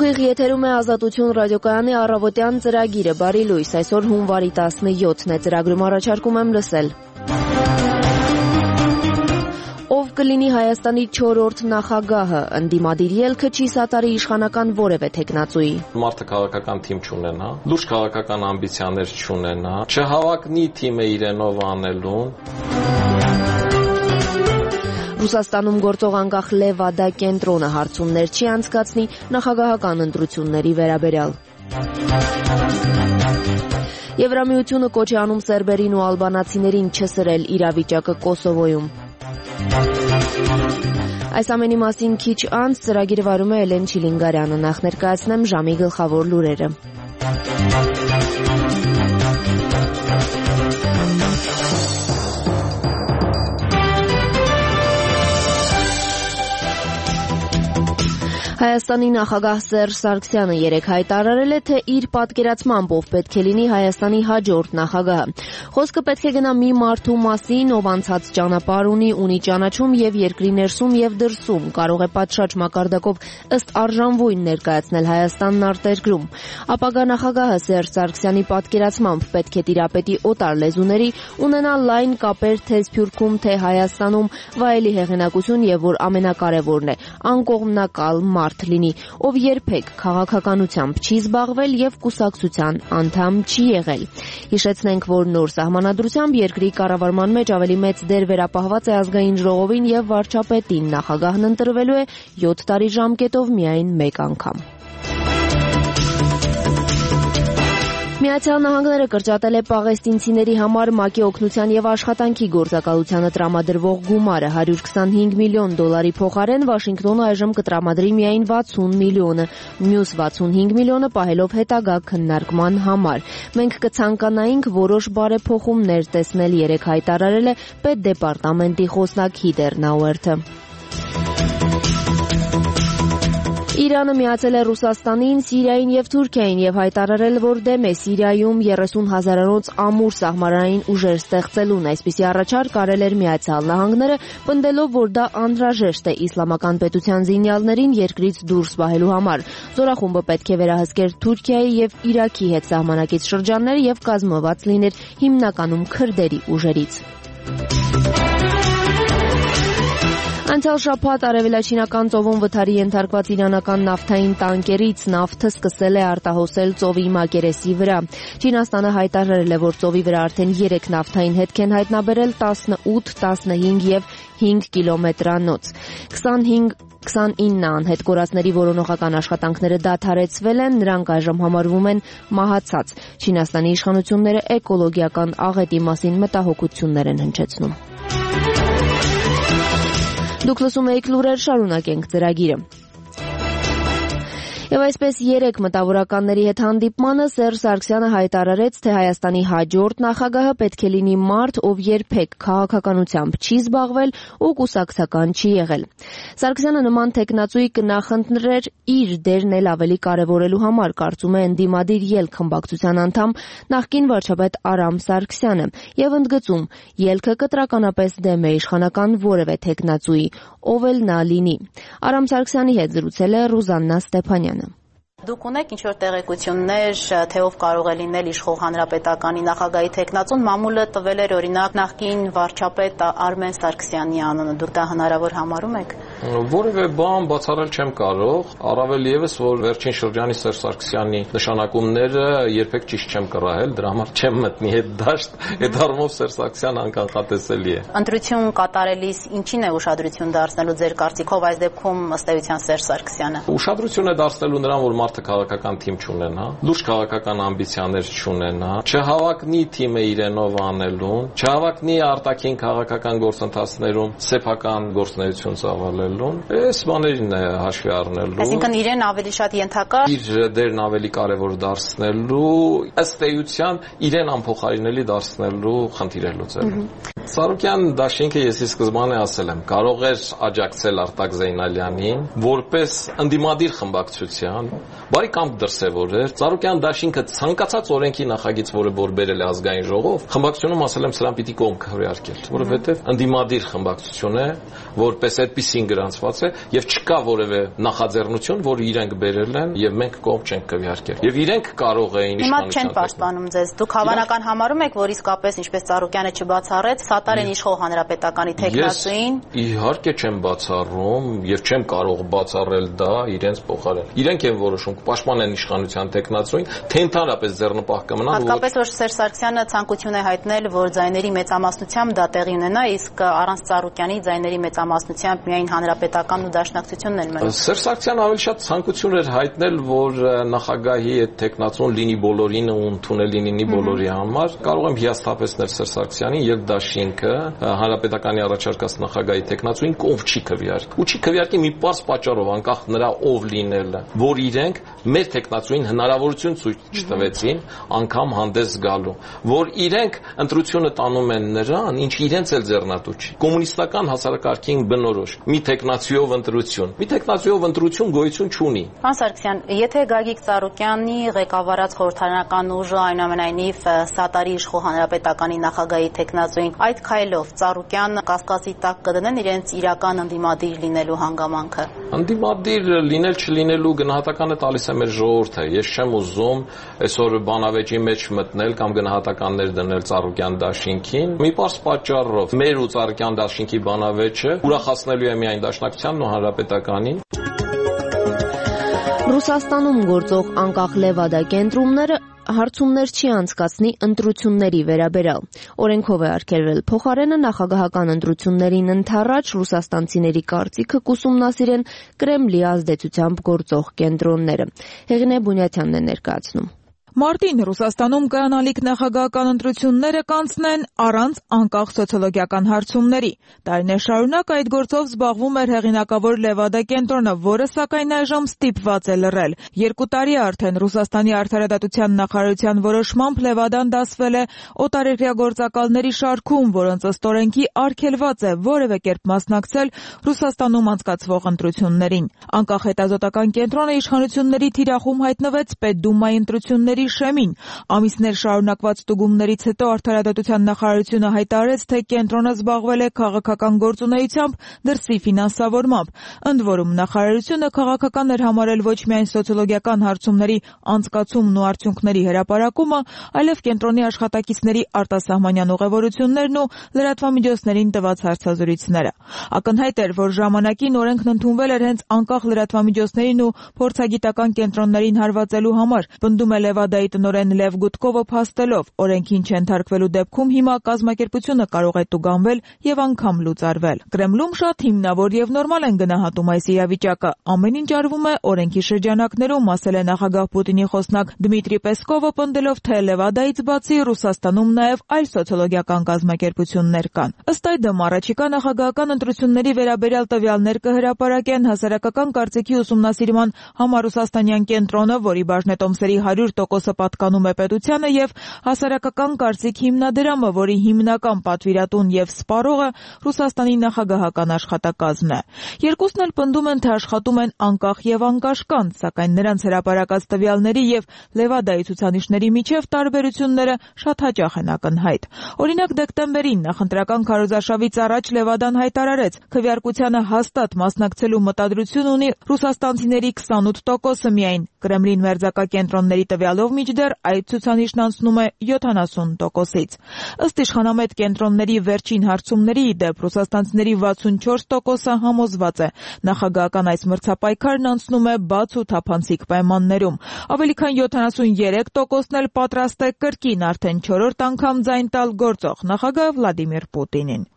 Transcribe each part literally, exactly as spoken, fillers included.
Ուղիղ եթերում է Ազատություն ռադիոկայանի առավոտյան ծրագիրը, բարի լույս, այսօր հունվարի տասնյոթն է, ծրագրում առաջարկում եմ լսել. Ով կլինի Հայաստանի չորրորդ նախագահը, ընդդիմադիր ելքը չի սատարի իշխանական որևէ թեկնածուի. Մարդը քաղաքական թիմ չունենա, լուրջ քաղաքական ամբիցիաներ չունենա, չհավակնի թիմը իրենով անելուն. Ռուսաստանում գործող անկախ Լևադա կենտրոնը հարցումներ չի անցկացնի նախագահական ընտրությունների վերաբերյալ. Եվրամիությունը կոչ է անում սերբերին ու ալբանացիներին չսրել իրավիճակը Կոսովոյում. Այս ամենի մասին քիչ անց ծրագիրը վարում է Էլեն Չիլինգարյանը, նախ ներկայացնեմ ժամի գլխավոր լուրերը. Հայաստանի նախագահ Սերժ Սարգսյանը երեկ հայտարարել է, թե իր պատկերացմամբ ով պետք է լինի Հայաստանի հաջորդ նախագահը. Խոսքը պետք է գնա մի մարդու մասին, ով անցած ճանապարհ ունի, ունի ճանաչում եւ երկրի ներսում եւ դրսում, կարող է պատշաճ մակարդակով ըստ արժանվույն ներկայացնել Հայաստանն արտերկրում. Ապագա նախագահը Սերժ Սարգսյանի պատկերացմամբ պետք է տիրապետի օտար լեզուների, ունենա լայն կապեր թե Սփյուռքում, թե Հայաստանում, վայելի հեղինակություն եւ որ ամենակարևորն է, անկողմնակալ մարդ լինի, ով երբեք քաղաքականությամբ չի զբաղվել եւ կուսակցության անդամ չի եղել. Հիշեցնենք, որ նոր սահմանադրությամբ երկրի կառավարման մեջ ավելի մեծ դեր վերապահված է ազգային ժողովին եւ վարչապետին, նախագահն ընտրվելու է յոթ տարի ժամկետով միայն մեկ անգամ. Միացյալ Նահանգները կրճատել է պաղեստինցիների համար ՄԱԿ-ի օգնության եւ աշխատանքի գործակալությանը տրամադրվող գումարը հարյուր քսանհինգ միլիոն դոլարի փոխարեն Վաշինգտոնը այժմ կտրամադրի միայն վաթսուն միլիոնը, մյուս վաթսունհինգ միլիոնը պահելով հետագա քննարկման համար. Մենք կցանկանայինք որոշ բարեփոխումներ տեսնել, երեկ հայտարարել է Պետդեպարտամենտի խոսնակ Հիդեր Նաուերթը. Իրանը միացել է Ռուսաստանին, Սիրիային եւ Թուրքիային եւ հայտարարել, որ դեմ է Սիրիայում երեսուն հազարանոց ամուր սահմանային ուժեր ստեղծելուն. Այսպիսի առաջարկ արել էր Միացյալ Նահանգները, պնդելով, որ դա անհրաժեշտ է իսլամական պետության զինյալներին երկրից դուրս պահելու համար. Զորախումբը պետք է վերահսկեր Թուրքիայի եւ Իրաքի հետ սահմանակից շրջաններ եւ կազմված լիներ հիմնականում քրդերի ուժերից. Անցյալ շաբաթ արևելաչինական ծովում վթարի ենթարկված իրանական նավթային տանկերից նավթը սկսել է արտահոսել ծովի մակերեսի վրա. Չինաստանը հայտարարել է, որ ծովի վրա արդեն երեք նավթային հետք են հայտնաբերել, տասնութ, տասնհինգ եւ հինգ կիլոմետրանոց. քսանինը անհետ կորածների որոնողական աշխատանքները դադարեցվել են, նրանք այժմ համարվում են մահացած. Չինաստանի իշխանությունները էկոլոգիական աղետի մասին մտահոգություններ են հնչեցնում. Դուք լսում եք լուրեր, շարունակենք ծրագիրը. Եվ այսպես երեք մտավորականների հետ հանդիպմանը Սերժ Սարգսյանը հայտարարեց, թե Հայաստանի հաջորդ նախագահը պետք է լինի մարդ, ով երբեք քաղաքականությամբ չի զբաղվել ու կուսակցական չի եղել. Սարգսյանը նման թեկնածուի կնախընտրեր իր դերն էլ ավելի կարևորելու համար, կարծում է ընդդիմադիր ելք խմբակցության անդամ նախկին վարչապետ Արամ Սարգսյանը եւ ընդգծում, ելքը կտրականապես դեմ է իշխանական որևէ թեկնածուի, ով էլ նա լինի. Արամ Սարգսյանի հետ զրուցել է Ռուզաննա Ստեփանյանը. Դուք ունեք ինչ-որ տեղեկություններ, թե ով կարող է լինել իշխող հանրապետականի նախագահի թեկնածուն, մամուլը տվել էր օրինակ նախկին վարչապետ Արմեն Սարգսյանի անունը, դուք դա հնարավոր համարում եք? Որևէ բան բացառել չեմ կարող, առավել եւս, որ վերջին շրջանի Սերժ Սարգսյանի նշանակումները երբեք ճիշտ չեմ կռահել, դրա համար չեմ մտնի այդ դաշտ, այդ առումով Սերժ Սարգսյանը անկանխատեսելի է. Ընտրություն կատարելիս ինչին է ուշադրություն դարձնելու ձեր կարծիքով այս դեպքում ըստ էության Սերժ Սարգսյանը? Ուշադրություն է դարձնելու նրան, որ մարդը քաղաքական թիմ չունենա, լուրջ քաղաքական ամբիցիաներ չունենա, չհավակնի թիմը իրենով անելուն, չհավակնի արտաքին քաղաքական գործընթացներում սեփական գործունեություն ծավալելուն, այս բաներին է հաշվի առնելու. Այսինքն իրեն ավելի շատ ենթակա, իր դերն ավելի կարևոր դարձնելու, ըստ էության իրեն անփոխարինելի դարձնելու խնդիր է լուծելու. Սարոկյան դաշինքը ես ի սկզբանե ասել եմ, կարող էր աջակցել Արտակ Զեյնալյանին որպես ընդդիմադիր խմբակցության, բարի կամք դրսևորեր։ Սարոկյան դաշինքը ցանկացած օրենքի նախագիծ, որը որ բերել է ազգային ժողով, խմբակցությունում ասել եմ սրան պիտի կողմ քվեարկել, որովհետև ընդդիմադիր խմբակցություն է, որպես այդպեսին գրանցված է եւ չկա որևէ նախաձեռնություն, որ իրենք բերել են եւ մենք կողմ չենք քվեարկել։ Եվ իրենք կարող էին իշխանության չեն պաշտպանում ձեզ։ Դուք հավանական համարում եք, որ իսկապես ինչպես Ծառուկյանը չբացառեց, սատար են իշխող հանրապետականի տեխնացուին։ Իհարկե չեմ բացառում եւ չեմ կարող բացառել դա իրենց փոխարեն։ Իրենք են որոշում պաշտպանեն իշխանության տեխնացուին, թե ընդհանրապես ձեռնպահ կմնան։ Հատկապես որ Սերժ Սարգսյանը ցանկություն է հայտնել, որ ձայների մեծամասնությամբ դա տեղի ունենա, իսկ առանց Ծառուկյանի ձայների մեծամասնությամբ միայն հանրապետականն ու դաշնակցությունն են մնում։ Սերժ Սարգսյանը ավելի շատ ցանկություն էր հայտնել, որ նախագահի այդ տեխնացուն լինի բոլորին ու ընդունելի լինի բոլորի համար։ Կարող եմ հիասթափեցնել Սերժ Սարգսյանին, երբ դաշինքը հանրապետականի առաջարկած նախագահի տեխնացուին կողմ չի քվեարկի։ Ու չի քվեարկի մի պարզ պատճառով, անկախ նրա ով լինելը, որ իրենք մեր տեխնացուին հնարավորություն ցույց չտվեցին անգամ հանդես գալու, որ իրենք ընտրությունը տանում են նրան, ինչ իրենց էլ ձեռնատու չի։ Կոմունիստական հասարակարգին բնորոշ մի տեխնացիով ընտրություն, մի տեխնացիով ընտրություն գոյություն չունի։ Պարոն Սարգսյան, եթե Գագիկ Ծառուկյանի ղեկավարած խորհրդարանական ուժը այնուամենայնիվ սատարի իշխող հանրապետականի նախագահի տեխնացուին այդ քայլով Ծառուկյան կասկածի տակ կդնեն իրենց իրական ընդդիմադիր լինելու հանգամանքը։ Ընդդիմադիր լինել չլինելու գնահատականը տալիս է մեր ժողովուրդը։ Ես չեմ ուզում այսօր բանավեճի մեջ մտնել կամ գնահատականներ դնել Ծառուկյան դաշինքին։ Մի պարզ պատճառով մեր ու Ծառուկյան դաշինքի բանավեճը ուրախացնելու է միայն դաշնակցությանն ու հանրապետականին։ Ռուսաստանում գործող անկախ Լևադա կենտրոնները հարցումներ չի անցկացնի ընտրությունների վերաբերյալ։ Օրենքով է արգելվել փոխարենը նախագահական ընտրություններին ընդառաջ ռուսաստանցիների կարծիքը կուսումնասիրեն Կրեմլի ազդեցությամբ գործող կենտրոնները։ Հեղինե Բունյաթյանն է ներկայացնում։ Մարտին Ռուսաստանում կայանալիք նախագահական ընտրությունները կանցնեն առանց անկախ սոցիոլոգիական հարցումների։ Տարիներ շարունակ այդ գործով զբաղվում էր հեղինակավոր Լևադա կենտրոնը, որը սակայն այժմ ստիպված է լռել։ Երկու տարի արդեն Ռուսաստանի արդարադատության նախարարության որոշմամբ Լևադան դասվել է օտարերկրյա գործակալների շարքում, որոնց ըստ օրենքի արգելված է որևէ կերպ մասնակցել Ռուսաստանում անցկացվող ընտրություններին։ Անկախ հետազոտական կենտրոնը իշխանությունների թիրախում հայտնվեց Պետդումայի ընտրությունների շեմին։ Ամիսներ շարունակված ստուգումներից հետո արդարադատության նախարարությունը հայտարարեց, թե կենտրոնը զբաղվել է քաղաքական գործունեությամբ, դրսի ֆինանսավորմամբ։ Ընդ որում նախարարությունը քաղաքական էր համարել ոչ միայն սոցիոլոգիական հարցումների անցկացումն ու արդյունքների հրապարակումը, այլև կենտրոնի աշխատակիցների արտասահմանյան ուղևորություններն ու լրատվամիջոցներին տված հարցազրույցները։ Ակնհայտ էր, որ ժամանակին օրենքն ընդունվել էր հենց անկախ լրատվամիջոցներին ու փորձագիտական կենտրոններին հարվածելու համար։ Պնդում է Լևադայի տնօրեն Լև Գուտկովը փաստելով, օրենքին չենթարկվելու դեպքում հիմա կազմակերպությունը կարող է տուգանվել եւ անգամ լուծարվել։ Կրեմլում շատ հիմնավոր եւ նորմալ են գնահատում այս իրավիճակը։ Ամեն ինչ արվում է օրենքի շրջանակներում, ասել է նախագահ Պուտինի խոսնակ Դմիտրի Պեսկովը, պնդելով, թե Լևադայից բացի Ռուսաստանում նաեւ այլ սոցիոլոգիական կազմակերպություններ կան։ Ըստ այդմ առաջիկա նախագահական ընտրությունների վերաբերյալ տվյալներ կհրապարակեն հասարակական կարծիքի ուսումնասիրման համառուսաստանյան կենտրոնը, որի բաժնետոմսերի հարյուր տոկոսը պատկանում է պետությանը, եւ հասարակական կարծիք հիմնադրամը, որի հիմնական պատվիրատուն եւ սպառողը Ռուսաստանի նախագահական աշխատակազմն է։ Երկուսն էլ պնդում են, թե աշխատում են անկախ եւ անկաշկանդ, սակայն նրանց հրապարակած տվյալների եւ Լևադայի ցուցանիշների միջև տարբերությունները շատ հաճախ են ակնհայտ։ Օրինակ դեկտեմբերին նախընտրական քարոզարշավից առաջ Լևադան հայտարարեց, քվեարկությանը հաստատ մասնակցելու մտադրություն ունի ռուսաստանցիների քսանութ տոկոսը միայն։ Կրեմլին մերձակա կենտրոնների տվյալով միջդեռ այդ ցուցանիշն անցնում է յոթանասուն տոկոսից։ Ըստ իշխանամետ կենտրոնների վերջին հարցումների ի դեպ ռուսաստանցիների վաթսունչորս տոկոսը համոզված է։ Նախագահական այս մրցապայքարն անցնում է բաց ու թափանցիկ պայմաններում։ Ավելի քան յոթանասուներեք տոկոսն էլ պատրաստ է կրկին արդեն չորրորդ անգամ ձայն տալ գործող նախագահ Վլադիմիր Պուտինին։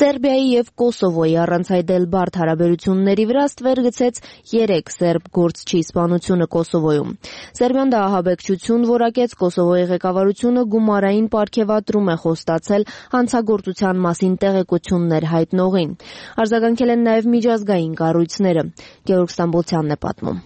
Սերբիայի եւ Կոսովոյի առանց այդել բարդ հարաբերությունների վրա ստվեր գցեց երեք սերբ գործչի սպանությունը Կոսովոյում։ Սերբիան դա ահաբեկչություն որակեց, Կոսովոյի ղեկավարությունը գումարային պարգևատրում է խոստացել հանցագործության մասին տեղեկություններ հայտնողին։ Արձագանքել են նաեւ միջազգային կառույցները։ Գեորգ Ստամբոլցյանն է պատմում։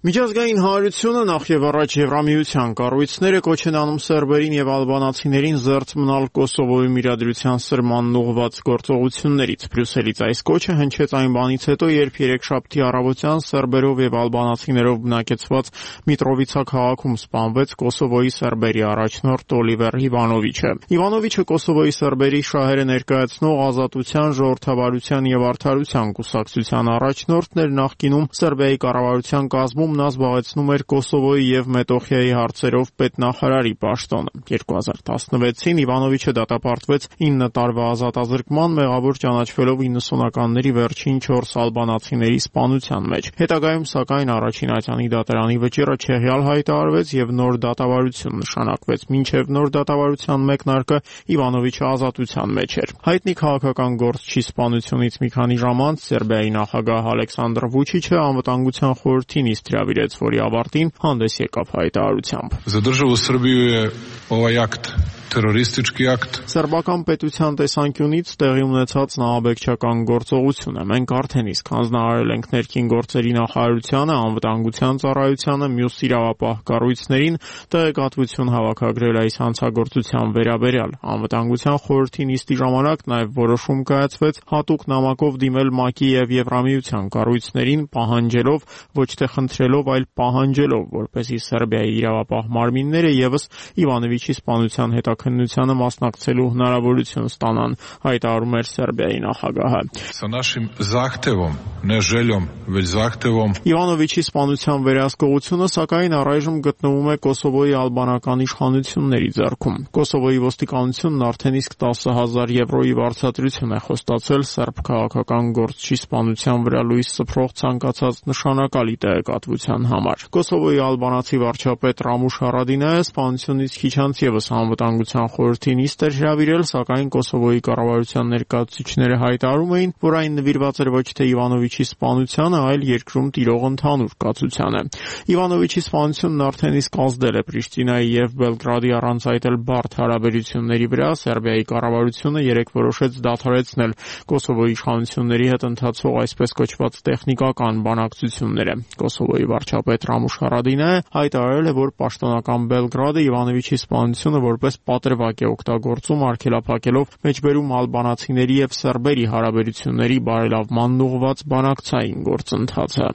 Միջազգային հանրությունը նախ եւ առաջ Եվրամիության կառույցները կոչ են անում սերբերին եւ ալբանացիներին զերծ մնալ Կոսովոյում իրադրության սրմանն ուղղված գործողություններից։ Բրյուսելից այս կոչը հնչեց այն բանից հետո, երբ երեքշաբթի առավոտյան սերբերով եւ ալբանացիներով բնակեցված Միտրովիցա քաղաքում սպանվեց Կոսովոյի սերբերի առաջնորդ Օլիվեր Իվանովիչը։ Իվանովիչը Կոսովոյի սերբերի շահերը ներկայացնող Ազատության, Ժողովրդավարության եւ Արդարության կուսակցության առաջնորդն էր նախկինում Սերբիայի կառավարության կազմում նա զբաղեցնում էր Կոսովոյի եւ Մետոխիայի հարցերով պետնախարարի պաշտոնը։ երկու հազար տասնվեցին Իվանովիչը դատապարտվեց ինը տարվա ազատազրկման, մեղավոր ճանաչվելով իննսունականների վերջին չորս ալբանացիների սպանության մեջ։ Հետագայում սակայն առաջին ատյանի դատարանի վճիռը չեղյալ հայտարարվեց եւ նոր դատավարություն նշանակվեց։ Մինչեւ նոր դատավարության մեկնարկը Իվանովիչը ազատության մեջ էր։ Հայտնի քաղաքական գործչի սպանությունից մի քանի ժամ անց Սերբիայի նախագահ Ալեքսանդր Վուչիչը անվտանգության խորհրդին իստրավիրեց, որի ավարտին հանդես եկավ հայտարարությամբ։ Задерживал Сербию ovaj akt, terroristički akt. Սերբական պետության տեսանկյունից տեղի ունեցած նահաբեկչական գործողություն է։ Մենք արդեն իսկ հանձնարարել ենք ներքին գործերի նախարարությանը, անվտանգության ծառայությանը, մյուս իրավապահ կառույցներին տեղեկատվություն հավաքագրել այս հանցագործության վերաբերյալ։ Անվտանգության խորհրդի նիստի ժամանակ նաև որոշում կայացվեց հատուկ նամակով դիմել ՄԱԿ-ի եւ Եվրամիության կառույցներին, պահանջելով, ոչ թե խնդրելով, այլ պահանջելով, որպեսզի Սերբիայի իրավապահ մարմինները եւս Իվանովիչի սպանության հետաքննությանը մասնակցելու հնարավորություն ստանան, հայտարարում էր Սերբիայի նախագահը։ С нашим захтевом, не желем, ведь захтевом. Իվանովիչի սպանության վերահսկողությունը սակայն առայժմ գտնվում է Կոսովոյի ալբանական իշխանությունների ձեռքում։ Կոսովոյի ոստիկանությունն արդեն իսկ տասը հազար եվրոյի վարձատրություն է խոստացել սերբ քաղաքական գործչի սպանության վրա լույս սփռող ցանկացած նշանակալի տեղեկատվության համար։ Կոսովոյի ալբանացի վարչապետ Ռամուշ Հարադինայը սպանությունից քիչ անց եւս անվտանգության խորհրդի նիստ էր հրավիրել, սակայն Կոսովոյի կառավարության ներկայացուցիչները հայտարարում էին, որ այն նվիրված էր ոչ թե Իվանովիչի սպանությանը, այլ երկրում տիրող ընդհանուր կացությանը։ Իվանովիչի սպանությունն արդեն իսկ ազդել է Պրիշտինայի եւ Բելգրադի առանց այդ էլ բարդ հարաբերությունների վրա։ Սերբիայի կառավարությունը երեկ որոշեց դադարեցնել Կոսովոյի իշխանությունների հետ ընթացող այսպես կոչված տեխնիկական բանակցությունները։ Կոսովոյի վարչապետ Ռամուշ Հարադինայը հայտարարել է, որ պաշտոնական Բելգրադը Իվանովիչի սպանությունը որպես պատրվակ է օգտագործում, արգելափակելով մեջբերում ալբանացիների եւ սերբերի հարաբերությունների բարելավմանն ուղղված բանակցային գործընթացը։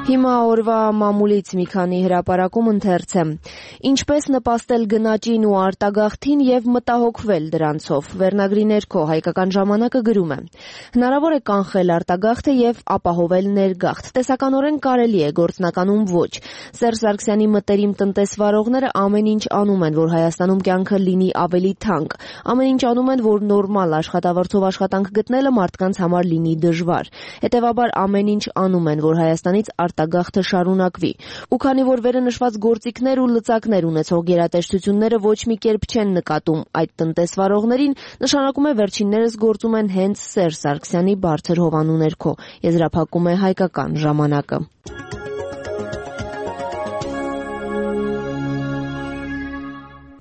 Հիմա օրվա մամուլից մի քանի հրապարակում ընթերց է։ Ինչպես նպաստել գնաճին ու արտագաղթին եւ մտահոգվել դրանցով։ Վերնագրի ներքո Հայկական ժամանակը գրում է. Հնարավոր է կանխել արտագաղթը եւ ապահովել ներգաղթ։ Տեսականորեն կարելի է, գործնականում ոչ։ Սերժ Սարգսյանի մտերիմ տնտեսվարողները ամեն ինչ անում են, որ Հայաստանում կյանքը լինի ավելի թանկ։ Ամեն ինչ անում են, որ նորմալ աշխատավարձով աշխատանք գտնելը մարդկանց համար լինի դժվար։ Հետևաբար ամեն ինչ անում են, որ Հայաստանից արտագաղթը շարունակվի։ Ու քանի որ վերը նշված գործիքներ ու լծակներ ունեցող գերատեսչությունները ոչ մի կերպ չեն նկատում այդ տնտեսվարողներին, նշանակում է վերջիններս գործում են հենց Սերժ Սարգսյանի բարձր հովանու ներքո, եզրափակում է Հայկական ժամանակը։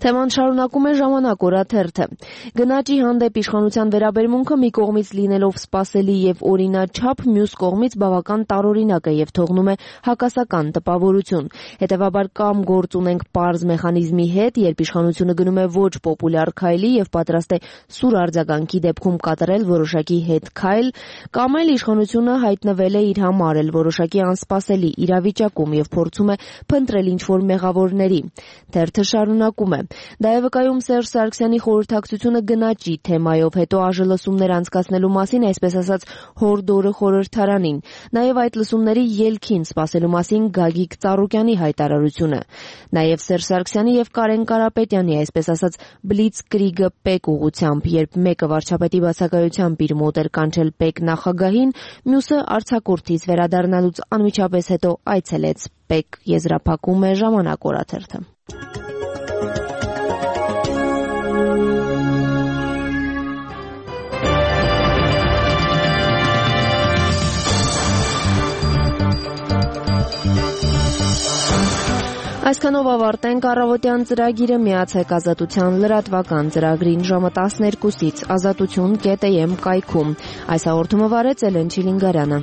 Թեման շարունակում է Ժամանակ օրաթերթը։ Գնաճի հանդեպ իշխանության վերաբերմունքը մի կողմից լինելով սպասելի եւ օրինաչափ, մյուս կողմից բավական տարօրինակ է եւ թողնում է հակասական տպավորություն։ Հետևաբար կամ գործ ունենք պարզ մեխանիզմի հետ, երբ իշխանությունը գնում է ոչ պոպուլյար քայլի եւ պատրաստ է սուր արձագանքի դեպքում կատարել որոշակի հետ քայլ, կամ էլ իշխանությունը հայտնվել է իր համար էլ որոշակի անսպասելի իրավիճակում եւ փորձում է փնտրել ինչ-որ մեղավորների։ Թերթը շարունակում է. Դա է վկայում Սերժ Սարգսյանի խորհրդակցությունը գնաճի թեմայով, հետո ԱԺ լսումներ անցկացնելու մասին, այսպես ասած, հորդորը խորհրդարանին։ Նաև այդ լսումների ելքին սպասելու մասին Գագիկ Ծառուկյանի հայտարարությունը։ Նաև Սերժ Սարգսյանի եւ Կարեն Կարապետյանի, այսպես ասած, բլիցկրիգը պեկ ուղղությամբ, երբ մեկը վարչապետի բացակայությամբ իր մոտ էր կանչել պեկ նախագահին, մյուսը արձակուրդից վերադառնալուց անմիջապես հետո այցելեց պեկ, եզրափակում է Ժամանակ օրաթերթը։ Այսքանով ավարտենք առավոտյան ծրագիրը, միացեք Ազատության լրատվական ծրագրին ժամը տասներկուսից ազատություն կետ է էմ կայքում։ Այս հաղորդումը վարեց Էլեն Չիլինգարյանը։